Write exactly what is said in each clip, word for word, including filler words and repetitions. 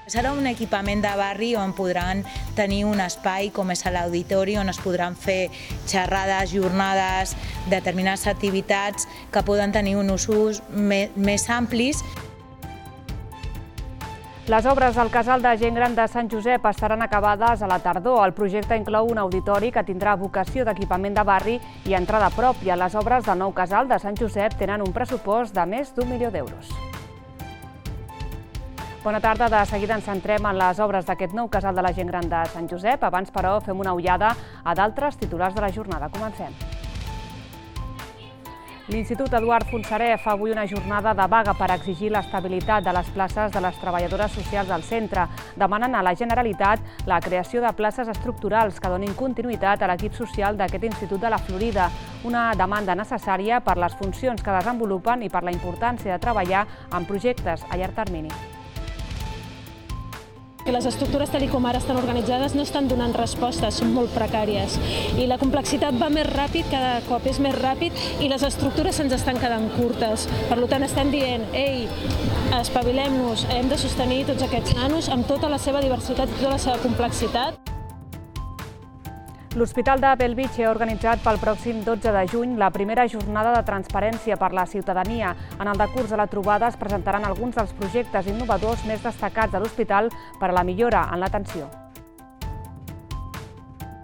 Serà un equipament de barri on podran tenir un espai com és l'auditori, on es podran fer xerrades, jornades, determinades activitats que poden tenir un ús més amplis. Les obres al casal de gent gran de Sant Josep estaran acabades a la tardor. El projecte inclou un auditori que tindrà vocació d'equipament de barri i entrada pròpia. Les obres del nou casal de Sant Josep tenen un pressupost de més d'un milió d'euros. Bona tarda, de seguida ens centrem en les obres d'aquest nou casal de la gent gran de Sant Josep. Abans, però, fem una ullada a d'altres titulars de la jornada. Comencem. L'Institut Eduard Fontserè fa avui una jornada de vaga per exigir l'estabilitat de les places de les treballadores socials del centre. Demanen a la Generalitat la creació de places estructurals que donin continuïtat a l'equip social d'aquest Institut de la Florida, una demanda necessària per les funcions que desenvolupen i per la importància de treballar en projectes a llarg termini. Les estructures tal com ara estan organitzades no estan donant respostes, són molt precàries. I la complexitat va més ràpid, cada cop és més ràpid, i les estructures se'ns estan quedant curtes. Per tant, estem dient, ei, espavilem-nos, hem de sostenir tots aquests nanos amb tota la seva diversitat i tota la seva complexitat. L'Hospital de Bellvitge ha organitzat pel pròxim dotze de juny la primera jornada de transparència per la ciutadania. En el decurs de la trobada es presentaran alguns dels projectes innovadors més destacats de l'hospital per a la millora en l'atenció.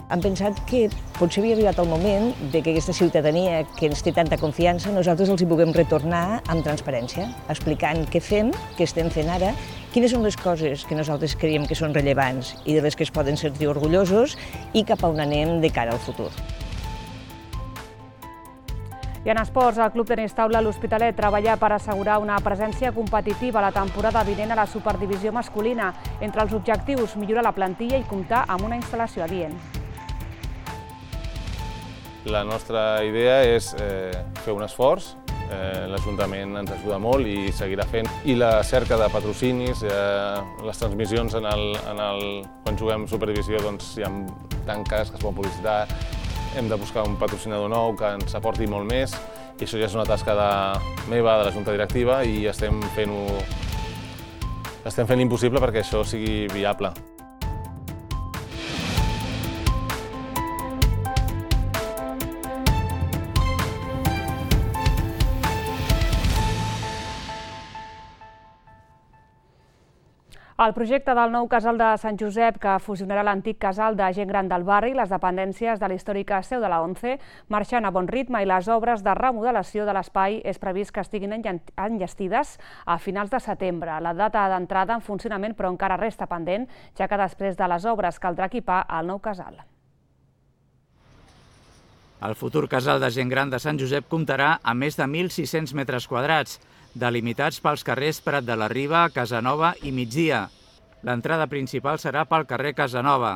Hem pensat que potser havia arribat el moment que aquesta ciutadania que ens té tanta confiança nosaltres els hi puguem retornar amb transparència, explicant què fem, què estem fent ara, quines són les coses que nosaltres creiem que són rellevants i de les que es poden sentir orgullosos i cap a on anem de cara al futur. I en esports, el Club Tenis Taula L'Hospitalet treballa per assegurar una presència competitiva la temporada vinent a la Superdivisió masculina. Entre els objectius, millorar la plantilla i comptar amb una instal·lació adient. La nostra idea és eh, fer un esforç, eh, l'Ajuntament ens ajuda molt i seguirà fent. I la cerca de patrocinis, eh, les transmissions en el, en el, quan juguem Superdivisió doncs, hi ha tanques que es poden publicitar, hem de buscar un patrocinador nou que ens aporti molt més i això ja és una tasca de, meva, de la Junta Directiva i estem fent-ho estem fent l'impossible perquè això sigui viable. El projecte del nou casal de Sant Josep, que fusionarà l'antic casal de gent gran del barri i les dependències de la històrica seu de la ONCE, marxen a bon ritme i les obres de remodelació de l'espai és previst que estiguin enllestides a finals de setembre. La data d'entrada en funcionament, però encara resta pendent, ja que després de les obres caldrà equipar el nou casal. El futur casal de gent gran de Sant Josep comptarà amb més de mil sis-cents metres quadrats, delimitats pels carrers Prat de la Riba, Casanova i Migdia. L'entrada principal serà pel carrer Casanova.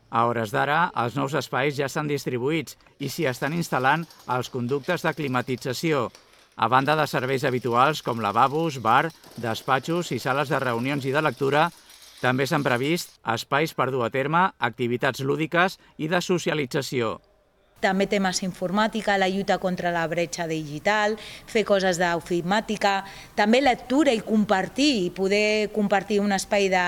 A hores d'ara, els nous espais ja estan distribuïts i s'hi estan instal·lant els conductes de climatització, a banda de serveis habituals com lavabos, bar, despatxos i sales de reunions i de lectura. També s'han previst espais per dur a terme activitats lúdiques i de socialització. També temes informàtica, la lluita contra la bretxa digital, fer coses d'ofimática, també lectura i compartir, i poder compartir un espai de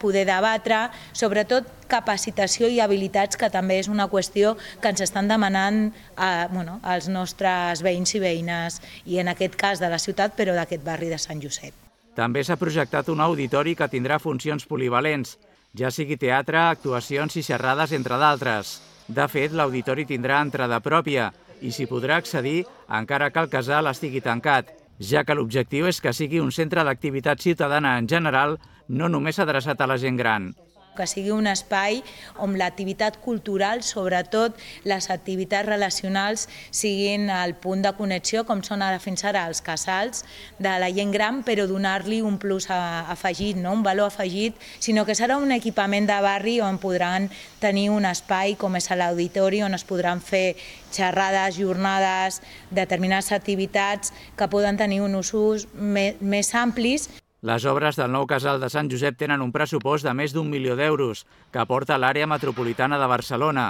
poder debatre, sobretot capacitació i habilitats, que també és una qüestió que ens estan demanant a, bueno, als nostres veïns i veïnes, i en aquest cas de la ciutat, però d'aquest barri de Sant Josep. També s'ha projectat un auditori que tindrà funcions polivalents, ja sigui teatre, actuacions i xerrades, entre d'altres. De fet, l'auditori tindrà entrada pròpia i s'hi podrà accedir encara que el casal estigui tancat, ja que l'objectiu és que sigui un centre d'activitat ciutadana en general, no només adreçat a la gent gran. Que sigui un espai on l'activitat cultural, sobretot les activitats relacionals, siguin el punt de connexió, com són ara fins ara els casals de la gent gran, però donar-li un plus afegit, no? Un valor afegit, sinó que serà un equipament de barri on podran tenir un espai com és l'auditori, on es podran fer xerrades, jornades, determinades activitats que poden tenir un ús més amplis. Les obres del nou casal de Sant Josep tenen un pressupost de més d'un milió d'euros que aporta l'àrea metropolitana de Barcelona.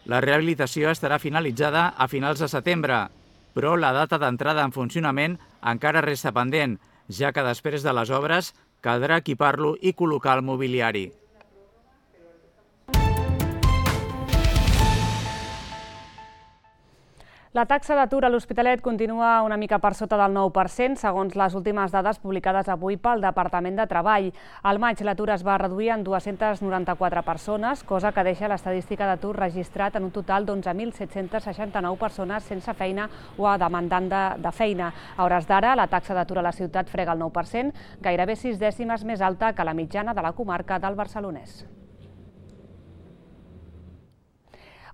La rehabilitació estarà finalitzada a finals de setembre, però la data d'entrada en funcionament encara resta pendent, ja que després de les obres caldrà equipar-lo i col·locar el mobiliari. La taxa d'atur a l'Hospitalet continua una mica per sota del nou per cent, segons les últimes dades publicades avui pel Departament de Treball. Al maig l'atur es va reduir en dues-centes noranta-quatre persones, cosa que deixa l'estadística d'atur registrat en un total d'onze mil set-cents seixanta-nou persones sense feina o demandant de, de feina. A hores d'ara, la taxa d'atur a la ciutat frega el nou per cent, gairebé sis dècimes més alta que la mitjana de la comarca del Barcelonès.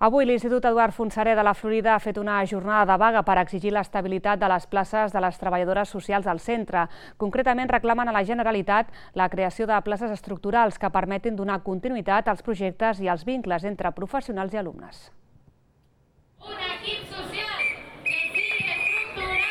Avui l'Institut Eduard Fontserè de la Florida ha fet una jornada de vaga per exigir l'estabilitat de les places de les treballadores socials al centre. Concretament reclamen a la Generalitat la creació de places estructurals que permetin donar continuïtat als projectes i als vincles entre professionals i alumnes. Un equip social que sigui estructural.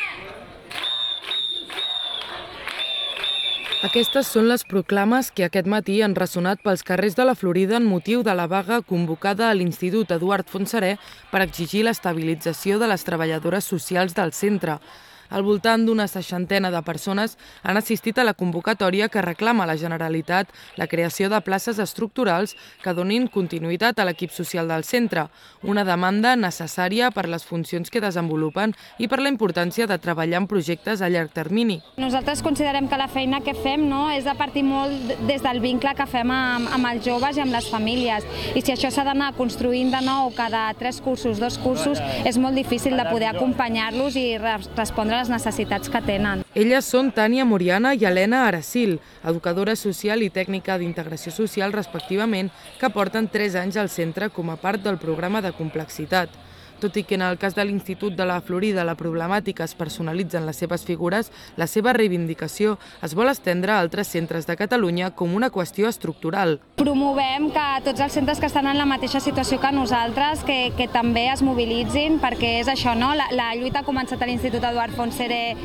Aquestes són les proclames que aquest matí han ressonat pels carrers de la Florida en motiu de la vaga convocada a l'Institut Eduard Fontserè per exigir l'estabilització de les treballadores socials del centre. Al voltant d'una seixantena de persones han assistit a la convocatòria que reclama a la Generalitat la creació de places estructurals que donin continuïtat a l'equip social del centre, una demanda necessària per les funcions que desenvolupen i per la importància de treballar en projectes a llarg termini. Nosaltres considerem que la feina que fem no, és de partir molt des del vincle que fem amb, amb els joves i amb les famílies. I si això s'ha d'anar construint de nou cada tres cursos, dos cursos, és molt difícil de poder acompanyar-los i respondre les necessitats que tenen. Elles són Tània Moriana i Helena Aracil, educadora social i tècnica d'integració social respectivament, que porten tres anys al centre com a part del programa de complexitat. Tot i que en el cas de l'Institut de la Florida la problemàtica es personalitza en les seves figures, la seva reivindicació es vol estendre a altres centres de Catalunya com una qüestió estructural. Promovem que tots els centres que estan en la mateixa situació que nosaltres, que, que també es mobilitzin, perquè és això, no? La, la lluita ha començat a l'Institut Eduard Fontserè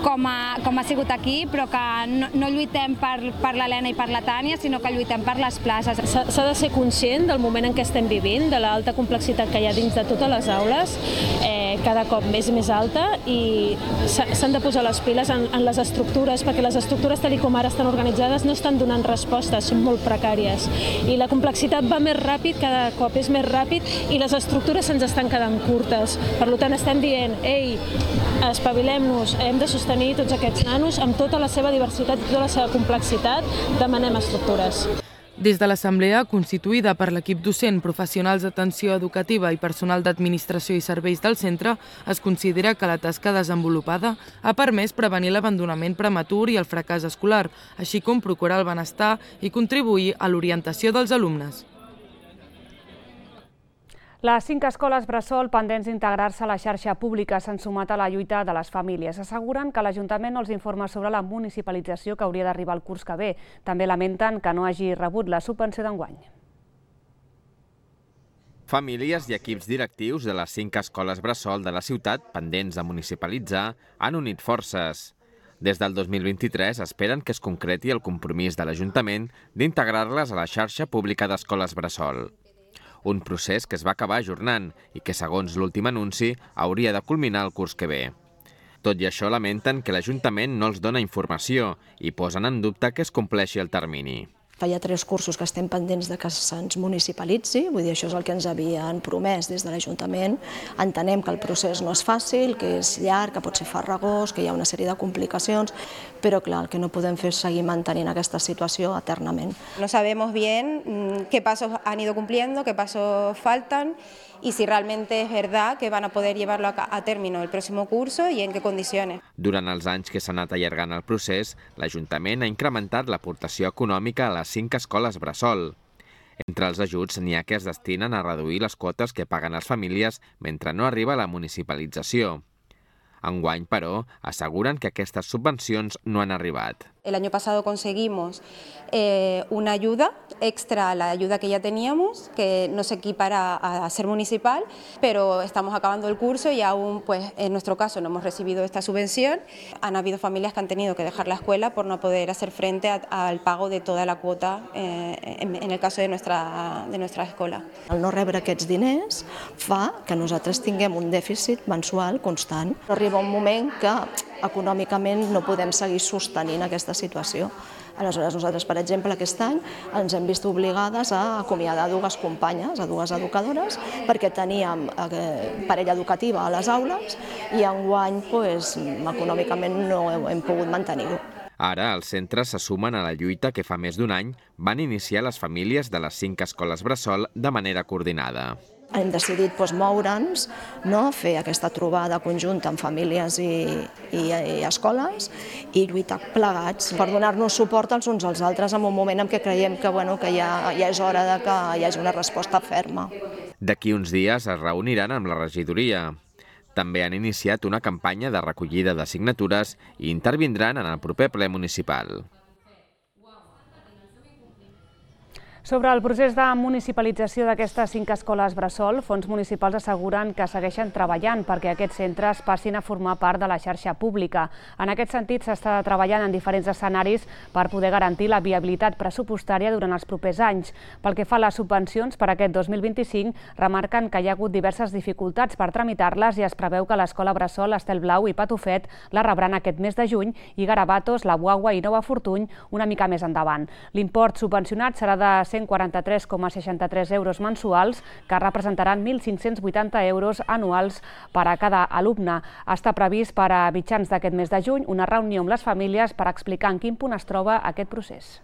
com ha, com ha sigut aquí, però que no, no lluitem per, per l'Helena i per la Tània, sinó que lluitem per les places. S'ha de ser conscient del moment en què estem vivint, de l'alta complexitat que hi ha dins de totes les aules, eh, cada cop més i més alta, i s'han de posar les piles en, en les estructures, perquè les estructures tal com ara estan organitzades no estan donant respostes, són molt precàries. I la complexitat va més ràpid, cada cop és més ràpid, i les estructures se'ns estan quedant curtes. Per tant, estem dient, ei, espavilem-nos, hem de sostenir tots aquests nanos amb tota la seva diversitat i tota la seva complexitat, demanem estructures. Des de l'Assemblea, constituïda per l'equip docent, professionals d'atenció educativa i personal d'administració i serveis del centre, es considera que la tasca desenvolupada ha permès prevenir l'abandonament prematur i el fracàs escolar, així com procurar el benestar i contribuir a l'orientació dels alumnes. Les cinc escoles bressol pendents d'integrar-se a la xarxa pública s'han sumat a la lluita de les famílies. Asseguren que l'Ajuntament no els informa sobre la municipalització que hauria d'arribar el curs que ve. També lamenten que no hagi rebut la subvenció d'enguany. Famílies i equips directius de les cinc escoles bressol de la ciutat pendents de municipalitzar han unit forces. Des del dos mil vint-i-tres esperen que es concreti el compromís de l'Ajuntament d'integrar-les a la xarxa pública d'escoles bressol. Un procés que es va acabar ajornant i que, segons l'últim anunci, hauria de culminar el curs que ve. Tot i això, lamenten que l'Ajuntament no els dona informació i posen en dubte que es compleixi el termini. Hi ha tres cursos que estem pendents de que se'ns municipalitzi, vull dir, això és el que ens havien promès des de l'Ajuntament. Entenem que el procés no és fàcil, que és llarg, que pot ser farragós, que hi ha una sèrie de complicacions, però clar, el que no podem fer és seguir mantenint aquesta situació eternament. No sabemos bien qué pasos han ido cumpliendo, qué pasos faltan y si realmente es verdad que van a poder llevarlo a término el próximo curso y en qué condiciones. Durant els anys que s'ha anat allargant el procés, l'Ajuntament ha incrementat l'aportació econòmica a les cinc escoles bressol. Entre els ajuts n'hi ha que es destinen a reduir les quotes que paguen les famílies mentre no arriba la municipalització. Enguany, però, aseguren que aquestes subvencions no han arribat. El año pasado conseguimos eh, una ayuda extra a la ayuda que ya teníamos, que no se equipara a ser municipal, pero estamos acabando el curso y aún, pues, en nuestro caso no hemos recibido esta subvención. Han habido familias que han tenido que dejar la escuela por no poder hacer frente a, al pago de toda la cuota eh, en, en el caso de nuestra, de nuestra escola. El no rebre aquests diners fa que nosaltres tinguem un dèficit mensual constant. Arriba un moment que econòmicament no podem seguir sostenint aquesta situació. Aleshores, nosaltres, per exemple, aquest any ens hem vist obligades a acomiadar dues companyes, a dues educadores, perquè teníem parella educativa a les aules i enguany econòmicament no hem pogut mantenir-ho. Ara, els centres se sumen a la lluita que fa més d'un any van iniciar les famílies de les cinc escoles bressol de manera coordinada. Hem decidit moure'ns, fer aquesta trobada conjunta amb famílies i escoles i lluitar plegats per donar-nos suport els uns als altres en un moment en què creiem que ja és hora que hi hagi una resposta ferma. D'aquí uns dies es reuniran amb la regidoria. També han iniciat una campanya de recollida de signatures i intervindran en el proper ple municipal. Sobre el procés de municipalització d'aquestes cinc escoles bressol, fons municipals asseguren que segueixen treballant perquè aquests centres passin a formar part de la xarxa pública. En aquest sentit, s'està treballant en diferents escenaris per poder garantir la viabilitat pressupostària durant els propers anys. Pel que fa a les subvencions per aquest dos mil vint-i-cinc, remarquen que hi ha hagut diverses dificultats per tramitar-les i es preveu que l'escola bressol Estelblau i Patufet la rebran aquest mes de juny i Garabatos, La Guagua i Nova Fortuny una mica més endavant. L'import subvencionat serà de cent quaranta-tres coma seixanta-tres euros mensuals, que representaran mil cinc-cents vuitanta euros anuals per a cada alumne. Està previst per a mitjans d'aquest mes de juny una reunió amb les famílies per explicar en quin punt es troba aquest procés.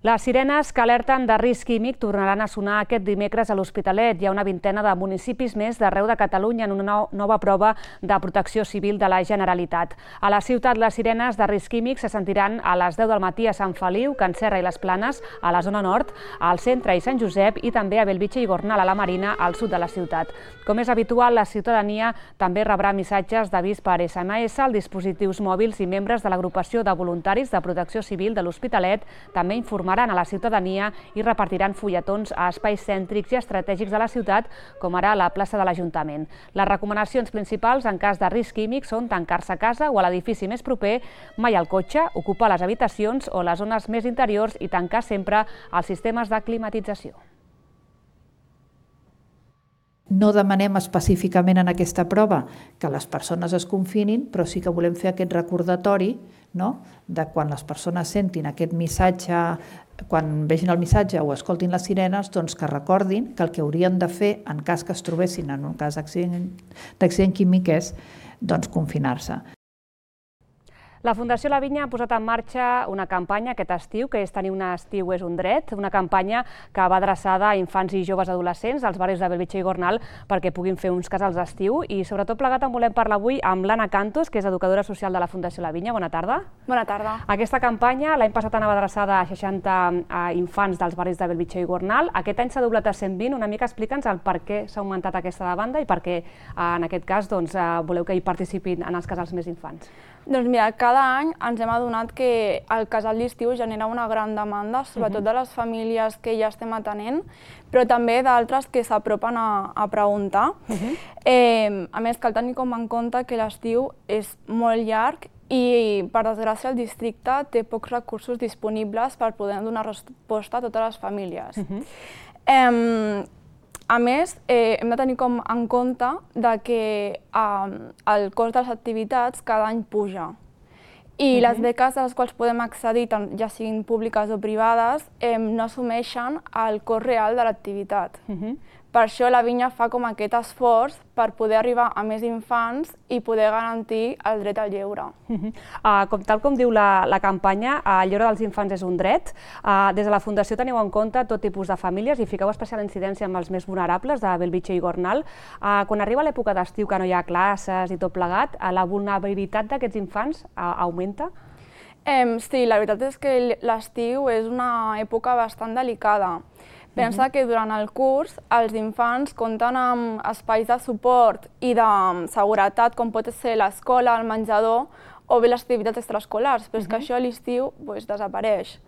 Les sirenes que alerten de risc químic tornaran a sonar aquest dimecres a l'Hospitalet. Hi ha una vintena de municipis més d'arreu de Catalunya en una nova prova de protecció civil de la Generalitat. A la ciutat, les sirenes de risc químic se sentiran a les deu del matí a Sant Feliu, Can Serra i les Planes, a la zona nord, al centre i Sant Josep i també a Bellvitge i Gornal, a la Marina, al sud de la ciutat. Com és habitual, la ciutadania també rebrà missatges d'avís per essa ema essa als dispositius mòbils i membres de l'agrupació de voluntaris de protecció civil de l'Hospitalet també informaran a la ciutadania i repartiran fulletons a espais cèntrics i estratègics de la ciutat, com ara a la plaça de l'Ajuntament. Les recomanacions principals en cas de risc químic són tancar-se a casa o a l'edifici més proper, mai al cotxe, ocupar les habitacions o les zones més interiors i tancar sempre els sistemes de climatització. No demanem específicament en aquesta prova que les persones es confinin, però sí que volem fer aquest recordatori de quan les persones sentin aquest missatge, quan vegin el missatge o escoltin les sirenes, doncs que recordin que el que haurien de fer en cas que es trobessin en un cas d'accident químic és confinar-se. La Fundació La Vinya ha posat en marxa una campanya aquest estiu, que és Tenir un estiu és un dret, una campanya que va adreçada a infants i joves adolescents als barris de Bellvitge i Gornal perquè puguin fer uns casals d'estiu i sobretot plegat en volem parlar avui amb l'Anna Cantos, que és educadora social de la Fundació La Vinya. Bona tarda. Bona tarda. Aquesta campanya l'any passat anava adreçada a seixanta infants dels barris de Bellvitge i Gornal. Aquest any s'ha doblat a cent vint. Una mica explica'ns el per què s'ha augmentat aquesta demanda i per què en aquest cas voleu que hi participin en els casals més infants. Doncs mira, cada any ens hem adonat que el casal d'estiu genera una gran demanda, sobretot de les famílies que ja estem atenent, però també d'altres que s'apropen a preguntar. A més, cal tenir com en compte que l'estiu és molt llarg i, per desgràcia, el districte té pocs recursos disponibles per poder donar resposta a totes les famílies. A més, hem de tenir com en compte que el cost de les activitats cada any puja i les beques a les quals podem accedir, ja siguin públiques o privades, no assumeixen el cost real de l'activitat. Per això la Vinya fa com aquest esforç per poder arribar a més infants i poder garantir el dret al lleure. Tal com diu la campanya, el lleure dels infants és un dret. Des de la Fundació teniu en compte tot tipus de famílies i fiqueu especial incidència amb els més vulnerables de Bellvitge i Gornal. Quan arriba l'època d'estiu, que no hi ha classes i tot plegat, la vulnerabilitat d'aquests infants augmenta? Sí, la veritat és que l'estiu és una època bastant delicada. Pensa que durant el curs els infants compten amb espais de suport i de seguretat, com pot ser l'escola, el menjador o bé les activitats extraescolars, però és que això a l'estiu desapareix.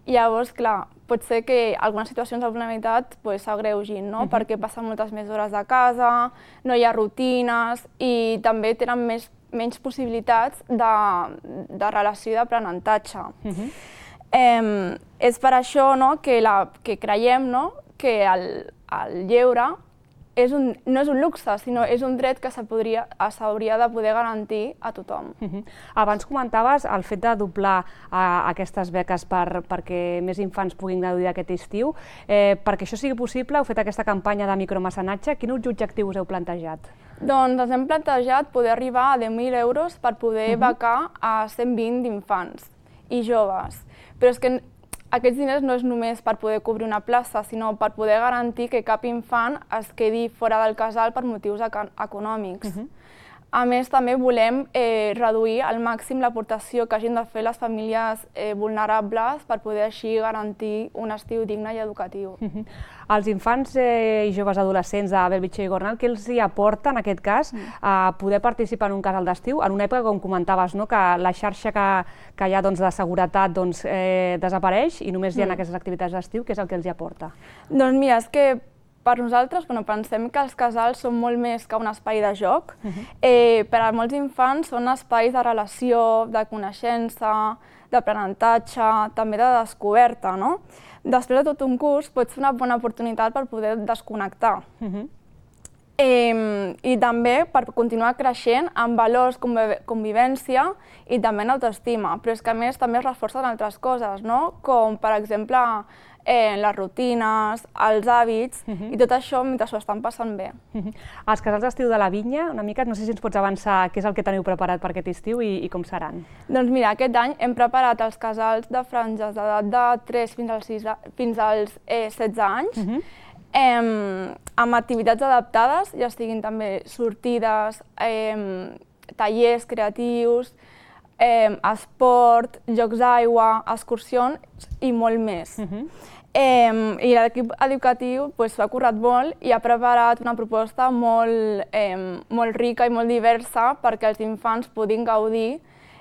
Llavors, clar, pot ser que algunes situacions de vulnerabilitat s'agreugin, perquè passen moltes més hores a casa, no hi ha rutines i també tenen menys possibilitats de relació i d'aprenentatge. És per això que creiem que el lleure és un, no és un luxe, sinó és un dret que s'hauria de poder garantir a tothom. Uh-huh. Abans comentaves el fet de doblar uh, aquestes beques per, perquè més infants puguin gaudir d'aquest estiu. Eh, perquè això sigui possible, heu fet aquesta campanya de micromecenatge. Quins objectius us heu plantejat? Doncs ens hem plantejat poder arribar a deu mil euros per poder uh-huh. becar a cent vint infants i joves. Però és que aquests diners no és només per poder cobrir una plaça, sinó per poder garantir que cap infant es quedi fora del casal per motius econòmics. Uh-huh. A més, també volem eh, reduir al màxim l'aportació que hagin de fer les famílies eh, vulnerables per poder així garantir un estiu digne i educatiu. Uh-huh. Els infants eh, i joves adolescents de Bellvitge i Gornal, què els hi aporta, en aquest cas, a poder participar en un casal d'estiu, en una època, com comentaves, no?, que la xarxa que, que hi ha doncs, de seguretat doncs, eh, desapareix i només hi ha mm. aquestes activitats d'estiu? Què és el que els hi aporta? Doncs mira, és que per nosaltres bueno, pensem que els casals són molt més que un espai de joc. Uh-huh. eh, per a molts infants són espais de relació, de coneixença, d'aprenentatge, també de descoberta, no? Després de tot un curs pot ser una bona oportunitat per poder desconnectar. Uh-huh. eh, I també per continuar creixent en valors, convivència i també en autoestima. Però és que a més també es reforcen altres coses, no? Com per exemple eh, les rutines, els hàbits, uh-huh. i tot això mentre s'ho estan passant bé. Uh-huh. Els casals d'estiu de la Vinya, una mica, no sé si ens pots avançar què és el que teniu preparat per aquest estiu i, i com seran. Doncs mira, aquest any hem preparat els casals de franges d'edat de tres fins als, sis, fins als eh, setze anys, uh-huh. eh, amb activitats adaptades, ja estiguin també sortides, eh, tallers creatius, eh, esport, jocs d'aigua, excursions i molt més. Uh-huh. Eh, I l'equip educatiu pues, s'ha currat molt i ha preparat una proposta molt, eh, molt rica i molt diversa perquè els infants puguin gaudir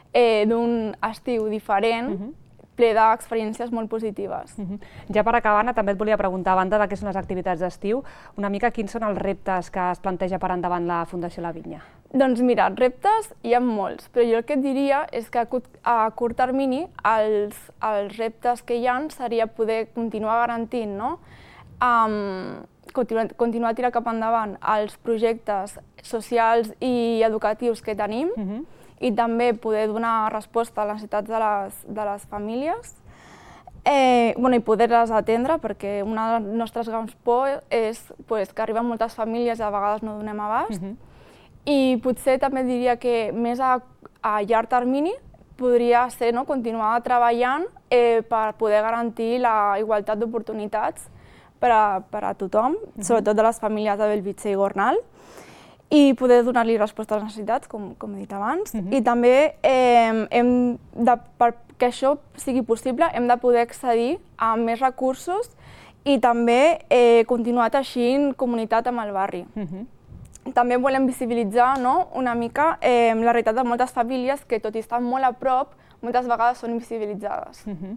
eh, d'un estiu diferent, uh-huh. ple d'experiències molt positives. Uh-huh. Ja per acabar, Anna, també et volia preguntar, a banda de què són les activitats d'estiu, una mica quins són els reptes que es planteja per endavant la Fundació La Vinya? Doncs mira, reptes hi ha molts, però jo el que et diria és que a curt, a curt termini els, els reptes que hi ha seria poder continuar garantint, no? Um, continuar, continuar a tirar cap endavant els projectes socials i educatius que tenim, uh-huh. i també poder donar resposta a les necessitats de les, de les famílies eh, bueno, i poder-les atendre, perquè una de les nostres grans por és pues, que arriben moltes famílies i a vegades no donem abast. Uh-huh. I potser també diria que més a, a llarg termini podria ser no, continuar treballant eh, per poder garantir la igualtat d'oportunitats per, a, per a tothom, uh-huh. sobretot de les famílies de Bellvitge i Gornal, i poder donar-li resposta a les necessitats, com, com he dit abans. Uh-huh. I també, eh, hem de, perquè això sigui possible, hem de poder accedir a més recursos i també eh, continuar teixint comunitat amb el barri. Uh-huh. També volem visibilitzar no, una mica eh, la realitat de moltes famílies que, tot i estar molt a prop, moltes vegades són invisibilitzades. Uh-huh.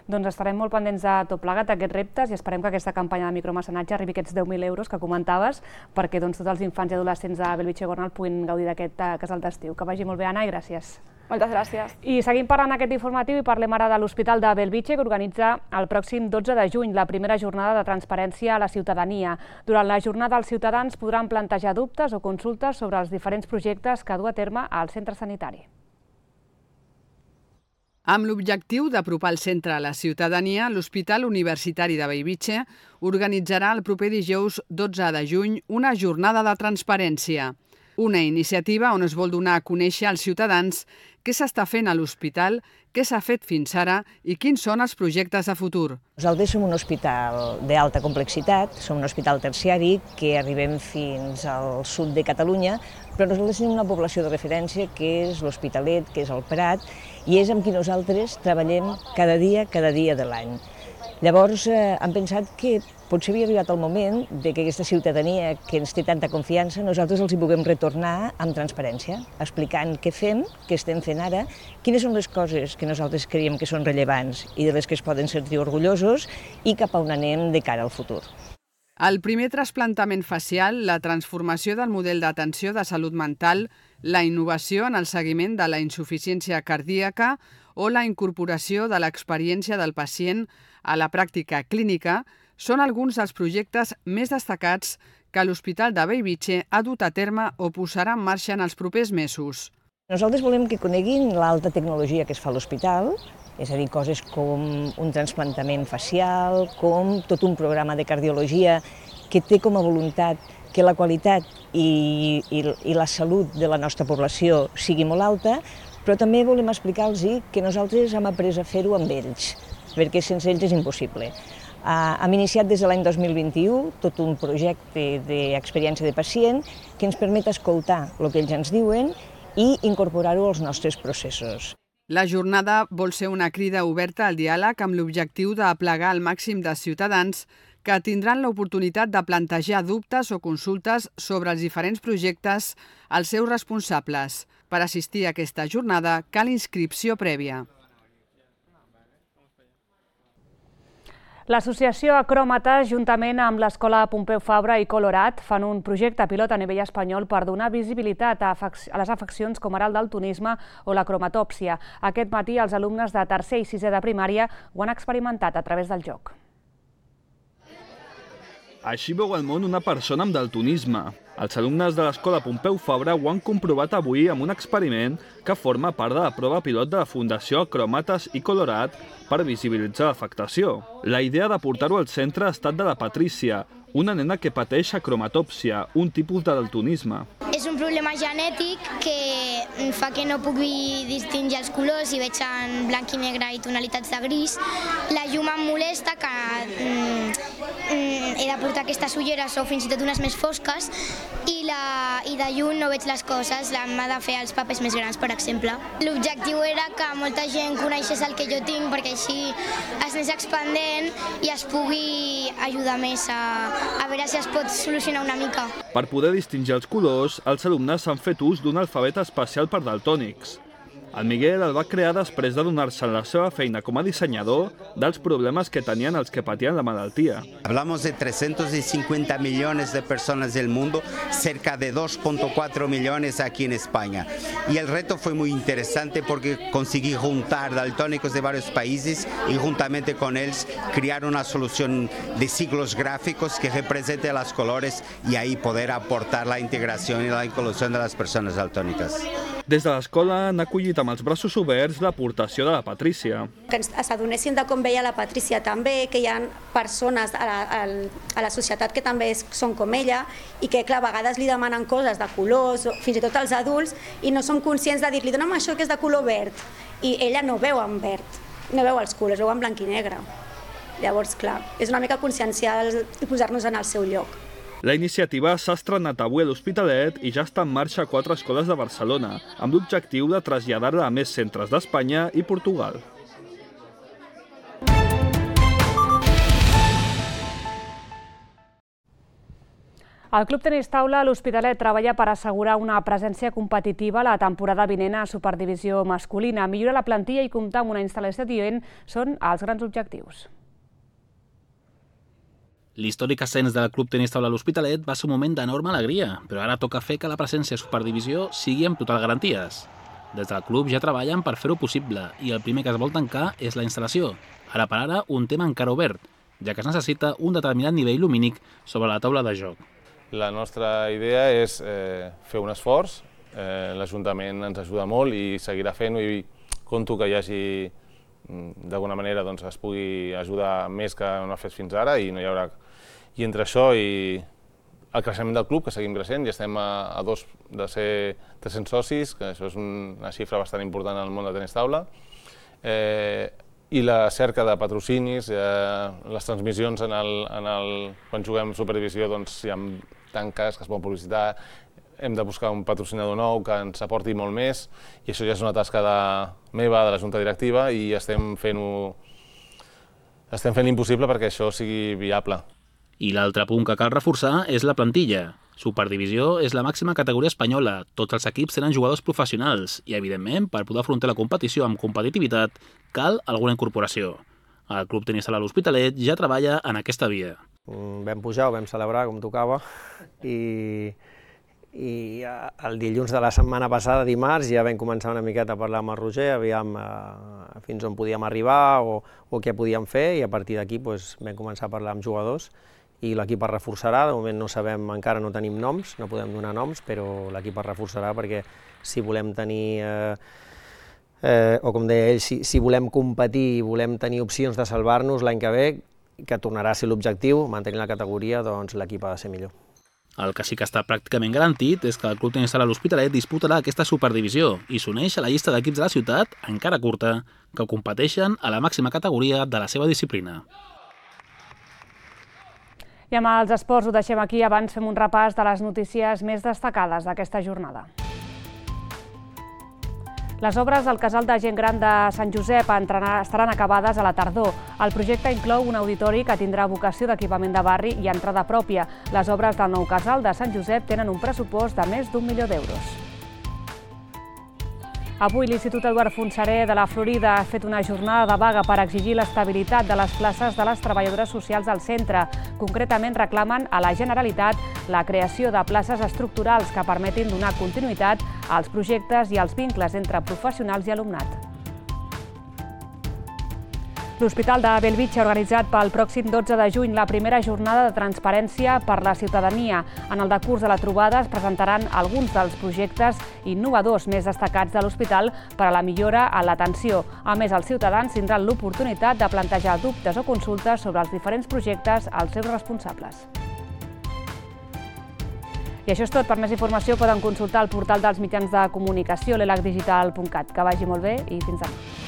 Doncs estarem molt pendents de tot plegat d'aquests reptes i esperem que aquesta campanya de micromecenatge arribi a aquests deu mil euros que comentaves perquè doncs, tots els infants i adolescents de Bellvitge i Gornal puguin gaudir d'aquest uh, casal d'estiu. Que vagi molt bé, Anna, i gràcies. Moltes gràcies. I seguim parlant aquest informatiu i parlem ara de l'Hospital de Bellvitge, que organitza el pròxim dotze de juny la primera jornada de transparència a la ciutadania. Durant la jornada els ciutadans podran plantejar dubtes o consultes sobre els diferents projectes que du a terme al centre sanitari. Amb l'objectiu d'apropar el centre a la ciutadania, l'Hospital Universitari de Bellvitge organitzarà el proper dijous dotze de juny una jornada de transparència. Una iniciativa on es vol donar a conèixer als ciutadans què s'està fent a l'hospital, què s'ha fet fins ara i quins són els projectes de futur. Nosaltres som un hospital d'alta complexitat, som un hospital terciari que arribem fins al sud de Catalunya, però nosaltres tenim una població de referència que és l'Hospitalet, que és el Prat, i és amb qui nosaltres treballem cada dia, cada dia de l'any. Llavors eh, hem pensat que potser havia arribat el moment de que aquesta ciutadania que ens té tanta confiança, nosaltres els hi puguem retornar amb transparència, explicant què fem, què estem fent ara, quines són les coses que nosaltres creiem que són rellevants i de les que es poden sentir orgullosos i cap a on anem de cara al futur. El primer trasplantament facial, la transformació del model d'atenció de salut mental, la innovació en el seguiment de la insuficiència cardíaca o la incorporació de l'experiència del pacient a la pràctica clínica són alguns dels projectes més destacats que l'Hospital de Bellvitge ha dut a terme o posarà en marxa en els propers mesos. Nosaltres volem que coneguin l'alta tecnologia que es fa a l'hospital, és a dir, coses com un trasplantament facial, com tot un programa de cardiologia que té com a voluntat que la qualitat i, i, i la salut de la nostra població sigui molt alta, però també volem explicar-los que nosaltres hem après a fer-ho amb ells, perquè sense ells és impossible. Uh, hem iniciat des de l'any dos mil vint-i-u tot un projecte d'experiència de pacient que ens permet escoltar el que ells ens diuen i incorporar-ho als nostres processos. La jornada vol ser una crida oberta al diàleg amb l'objectiu d'aplegar el màxim de ciutadans que tindran l'oportunitat de plantejar dubtes o consultes sobre els diferents projectes als seus responsables. Per assistir a aquesta jornada cal inscripció prèvia. L'associació Acròmates, juntament amb l'Escola Pompeu Fabra i Colorat, fan un projecte pilot a nivell espanyol per donar visibilitat a les afeccions com ara el daltonisme o la cromatòpsia. Aquest matí els alumnes de tercer i sisè de primària ho han experimentat a través del joc. Així veu el món una persona amb daltonisme. Els alumnes de l'Escola Pompeu Fabra ho han comprovat avui amb un experiment que forma part de la prova pilot de la Fundació Acròmates i Colorat per visibilitzar l'afectació. La idea de portar-ho al centre ha estat de la Patrícia, una nena que pateix acromatòpsia, un tipus de daltonisme. És un problema genètic que fa que no pugui distingir els colors i veig en blanc i negre i tonalitats de gris. La llum em molesta, que mm, he de portar aquestes ulleres o fins i tot unes més fosques, i, la, i de lluny no veig les coses, m'ha de fer els papers més grans, per exemple. L'objectiu era que molta gent coneixés el que jo tinc, perquè així es anés expandent i es pugui ajudar més a, a veure si es pot solucionar una mica. Per poder distingir els colors, els alumnes han fet ús d'un alfabet especial per daltònics. El Miguel el va crear després de donar-se en la seva feina com a dissenyador dels problemes que tenien els que patien la malaltia. Hablamos de trescientos cincuenta millones de personas del mundo, cerca de dos punto cuatro millones aquí en España. Y el reto fue muy interesante porque conseguí juntar daltónicos de varios países y juntamente con ellos crear una solución de siglos gráficos que represente los colores y ahí poder aportar la integración y la inclusión de las personas daltónicas. Des de l'escola han acollit amb els braços oberts l'aportació de la Patrícia. Que ens adonessin de com veia la Patrícia també, que hi ha persones a la, a la societat que també són com ella i que clar, a vegades li demanen coses de colors, fins i tot als adults, i no som conscients de dir-li dona'm això que és de color verd. I ella no veu en verd, no veu els colors, veu en blanc i negre. Llavors, clar, és una mica conscienciar i posar-nos en el seu lloc. La iniciativa s'ha estrenat avui a l'Hospitalet i ja està en marxa a quatre escoles de Barcelona, amb l'objectiu de traslladar-la a més centres d'Espanya i Portugal. El Club Tenis Taula a l'Hospitalet treballa per assegurar una presència competitiva la temporada vinent a Superdivisió masculina. Millorar la plantilla i comptar amb una instal·lació adient són els grans objectius. L'històric ascens del Club Tenis Taula a l'Hospitalet va ser un moment d'enorme alegria, però ara toca fer que la presència a Superdivisió sigui amb total garanties. Des del club ja treballen per fer-ho possible i el primer que es vol tancar és la instal·lació. Ara per ara, un tema encara obert, ja que es necessita un determinat nivell lumínic sobre la taula de joc. La nostra idea és eh, fer un esforç, eh, l'Ajuntament ens ajuda molt i seguirà fent-ho i conto que hi hagi d'alguna manera doncs, es pugui ajudar més que no ha fet fins ara i no hi haurà... I entre això i el creixement del club, que seguim creixent, ja estem a, a dos de ser tres-cents socis, que això és una xifra bastant important en el món del tenis taula, eh, i la cerca de patrocinis, eh, les transmissions en el, en el, quan juguem Superdivisió, doncs hi ha tanques que es poden publicitar, hem de buscar un patrocinador nou que ens aporti molt més i això ja és una tasca de, meva, de la Junta Directiva i estem fent-ho estem fent l'impossible perquè això sigui viable. I l'altre punt que cal reforçar és la plantilla. Superdivisió és la màxima categoria espanyola, tots els equips tenen jugadors professionals i, evidentment, per poder afrontar la competició amb competitivitat, cal alguna incorporació. El Club Tenis Taula a l'Hospitalet ja treballa en aquesta via. Vam pujar, ho vam celebrar com tocava i, i el dilluns de la setmana passada, dimarts, ja vam començar una miqueta a parlar amb el Roger, aviam eh, fins on podíem arribar o, o què podíem fer i a partir d'aquí doncs, vam començar a parlar amb jugadors i l'equip es reforçarà. De moment no sabem, encara no tenim noms, no podem donar noms, però l'equip es reforçarà perquè si volem tenir, eh, eh, o com deia ell, si, si volem competir i volem tenir opcions de salvar-nos l'any que ve, que tornarà a ser l'objectiu, mantenir la categoria, doncs l'equip ha de ser millor. El que sí que està pràcticament garantit és que el Club Tenis Sala L'Hospitalet disputarà aquesta superdivisió i s'uneix a la llista d'equips de la ciutat, encara curta, que competeixen a la màxima categoria de la seva disciplina. I amb els esports ho deixem aquí, abans fem un repàs de les notícies més destacades d'aquesta jornada. Les obres al casal de gent gran de Sant Josep estaran acabades a la tardor. El projecte inclou un auditori que tindrà vocació d'equipament de barri i entrada pròpia. Les obres del nou casal de Sant Josep tenen un pressupost de més d'un milió d'euros. Avui l'Institut Eduard Fontserè de la Florida ha fet una jornada de vaga per exigir l'estabilitat de les places de les treballadores socials del centre. Concretament reclamen a la Generalitat la creació de places estructurals que permetin donar continuïtat als projectes i als vincles entre professionals i alumnat. L'Hospital de Bellvitge ha organitzat pel pròxim dotze de juny la primera jornada de transparència per la ciutadania. En el decurs de la trobada es presentaran alguns dels projectes innovadors més destacats de l'hospital per a la millora en l'atenció. A més, els ciutadans tindran l'oportunitat de plantejar dubtes o consultes sobre els diferents projectes als seus responsables. I això és tot. Per més informació poden consultar el portal dels mitjans de comunicació, l'elac digital punt cat. Que vagi molt bé i fins demà.